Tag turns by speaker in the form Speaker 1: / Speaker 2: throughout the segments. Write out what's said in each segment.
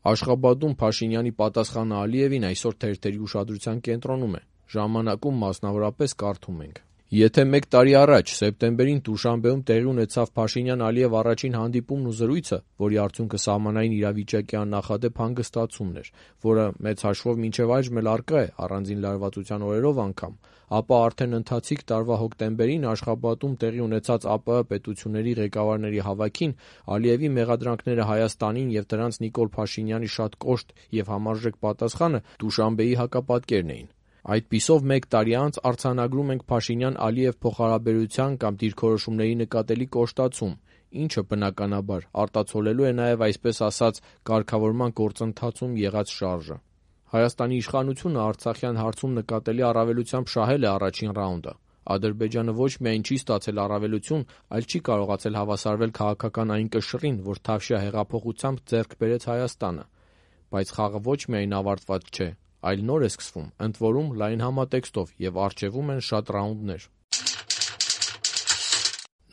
Speaker 1: Աշխաբադում Փաշինյանի պատասխանը Ալիևին այսօր թերթերի ուշադրության կենտրոնում է։ Ժամանակում մասնավորապես կարդում ենք. Եթե 1 տարի առաջ, սեպտեմբերին Դուշանբեում տեղի ունեցավ Փաշինյան-Ալիև առաջին հանդիպումն ու զրույցը, որի արդյունքը սահմանային իրավիճակի աննախադեպ հանգստացումն էր, որը մեծ հաշվով մինչև այժմ էլ առկա է առանձին լարվածության օրերով անգամ, ապա արդեն ընթացիկ տարվա հոկտեմբերին Աշխաբադում տեղի ունեցած ԱՊՀ պետությունների ղեկավարների հավաքին Ալիևի մեղադրանքները Հայաստանին և դրանց Նիկոլ Փաշինյանի շատ կոշտ և համարժեք պատասխանը Դուշանբեի հակապատկերն էին։ Այդպիսով 1 տարի անց արձանագրում ենք Փաշինյան-Ալիև փոխհարաբերության կամ դիրքորոշումների նկատելի կոշտացում, ինչը բնականաբար արտացոլելու է նաև այսպես ասած կարգավորման գործընթացում եղած շարժը։ Հայաստանի իշխանությունը Արցախյան հարցում նկատելի առավելությամբ շահել է առաջին ռաունդը։ Ադրբեջանը ոչ միայն չի ստացել առավելություն, այլ չի կարողացել հավասարվել քաղաքական այն կշռին, որ Թավշյա հեղափոխությամբ ձեռք բերեց Հայաստանը։ Բայց խաղը ոչ միայն ավարտված չէ, այլ նոր է սկսվում, ընդ որում լայն համատեքստով, և առջևում են շատ ռաունդներ։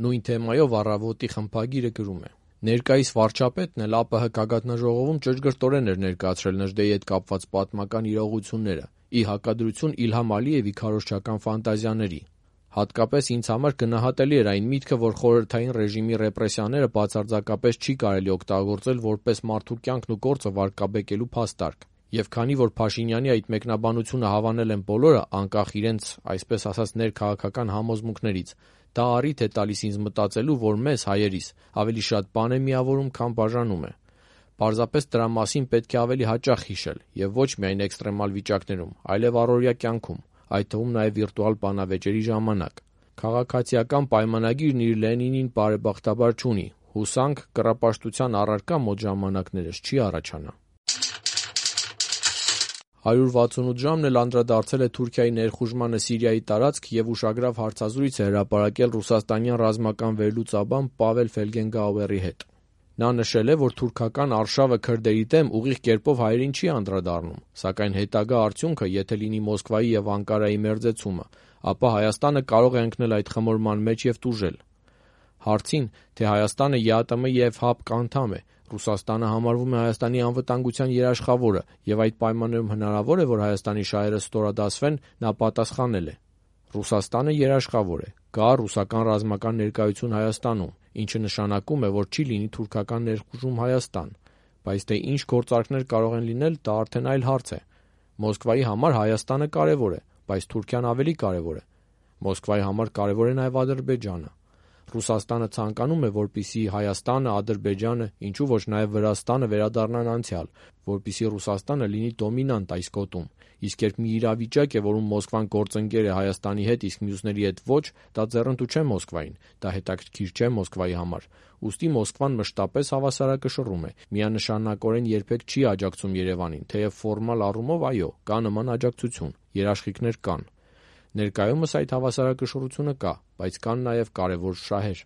Speaker 1: Նույն թեմայով «Առավոտ»-ի խմբագիրը գրում է. Ներկայիս վարչապետն էլ ԱՊՀ գագաթնաժողովում ճշգրտորեն էր ներկայացրել Նժդեի հետ կապված պատմական իրողությունները, ի հակադրություն Իլհամ Ալիևի քարոզչական ֆանտազիաների։ Հատկապես ինձ համար գնահատելի էր այն միտքը, որ խորհրդային ռեժիմի ռեպրեսիաները բացարձակապես չի կարելի օգտագործել որպես մարդու կյանքն ու գործը վարկաբեկելու փաստարկ։ Եվ քանի որ Փաշինյանի այդ մեկնաբանությունը հավանել են բոլորը, անկախ իրենց, այսպես ասած, ներքաղաքական համոզմունքներից, դա առիթ է տալիս ինձ մտածելու, որ մեզ, հայերիս, ավելի շատ բան է միավորում, քան բաժանում է։ Պարզապես դրա մասին պետք է ավելի հաճախ հիշել, և ոչ միայն էքստրեմալ վիճակներում, այլև առօրյա կյանքում, այդ թվում նաև վիրտուալ բանավեճերի ժամանակ։ Քաղաքացիական պայմանագիրն իր Լենինին բարեբախտաբար չունի, հուսանք կռապաշտության առարկա մոտ ժամանակներս չի առաջանա։ 168 ժամն էլ անդրադարձել է Թուրքիայի ներխուժմանը Սիրիայի տարածք և ուշագրավ հարցազրույց է հրապարակել ռուսաստանյան ռազմական վերլուծաբան Պավել Ֆելգենգաուերի հետ։ Նա նշել է, որ թուրքական արշավը քրդերի դեմ ուղիղ կերպով հայերին չի անդրադառնում, սակայն հետագա արդյունքը, եթե լինի Մոսկվայի և Անկարայի մերձեցումը, ապա Հայաստանը կարող է ընկնել այդ խմորման մեջ և տուժել։ Հարցին, թե Հայաստանը ԵԱՏՄ և ՀԱՊԿ անդամ է, Ռուսաստանը համարվում է Հայաստանի անվտանգության երաշխավորը և այդ պայմաններում հնարավոր է, որ Հայաստանի շահերը ստորադասվեն, նա պատասխանել է. Ռուսաստանը երաշխավոր է, կա ռուսական ռազմական ներկայություն Հայաստանում, ինչը նշանակում է, որ չի լինի թուրքական ներխուժում Հայաստան, բայց թե ինչ գործարքներ կարող են լինել, դա արդեն այլ հարց է։ Մոսկվայի համար Հայաստանը կարևոր է, բայց Թուրքիան ավելի կարևոր է։ Մոսկվայի համար կարևոր է նաև Ադրբեջանը։ Ռուսաստանը ցանկանում է, որպեսզի Հայաստանը, Ադրբեջանը, ինչու ոչ նաև Վրաստանը վերադառնան անցյալ, որպեսզի Ռուսաստանը լինի դոմինանտ այս գոտում, իսկ երբ մի իրավիճակ է, որում Մոսկվան գործընկեր է Հայաստանի հետ, իսկ մյուսների հետ ոչ, դա ձեռնտու չէ Մոսկվային, դա հետաքրքիր չէ Մոսկվայի համար։ Ուստի Մոսկվան մշտապես հավասարակշռում է, միանշանակորեն երբեք չի աջակցում Երևանին, թեև ֆորմալ առումով այո, կա նման աջակցություն, երաշխիքներ կան։ Ներկայումս այդ հավասարակշռությունը կա, բայց կան նաև կարևոր շահեր։